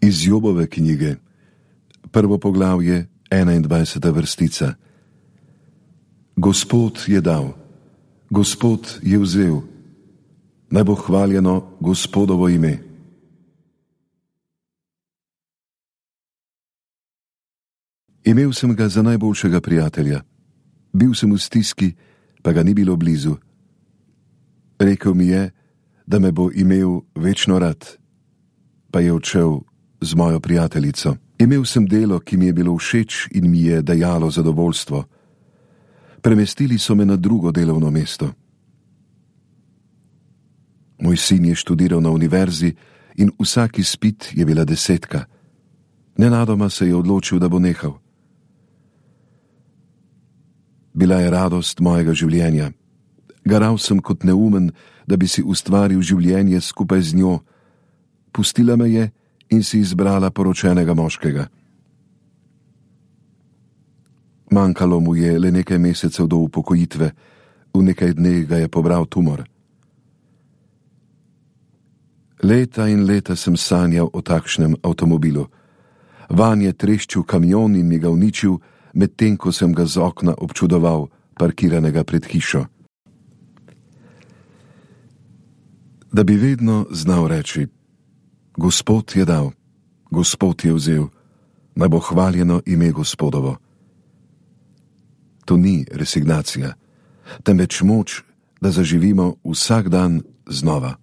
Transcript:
Iz Jobove knjige, 1. poglavje, 21. vrstica. Gospod je dal, Gospod je vzel, naj bo hvaljeno Gospodovo ime. Imel sem ga za najboljšega prijatelja. Bil sem v stiski, pa ga ni bilo blizu. Rekel mi je, da me bo imel večno rad, pa je odšel z mojo prijateljico. Imel sem delo, ki mi je bilo všeč in mi je dajalo zadovoljstvo. Premestili so me na drugo delovno mesto. Moj sin je študiral na univerzi in vsak izpit je bila 10. Nenadoma se je odločil, da bo nehal. Bila je radost mojega življenja. Garal sem kot neumen, da bi si ustvaril življenje skupaj z njo. Pustila me je in si izbrala poročenega moškega. Manjkalo mu je le nekaj mesecev do upokojitve, v nekaj dneh ga je pobral tumor. Leta in leta sem sanjal o takšnem avtomobilu. Vanj je treščil kamion in mi ga uničil, medtem ko sem ga z okna občudoval, parkiranega pred hišo. Da bi vedno znal reči: Gospod je dal, Gospod je vzel, naj bo hvaljeno ime Gospodovo. To ni resignacija, temveč moč, da zaživimo vsak dan znova.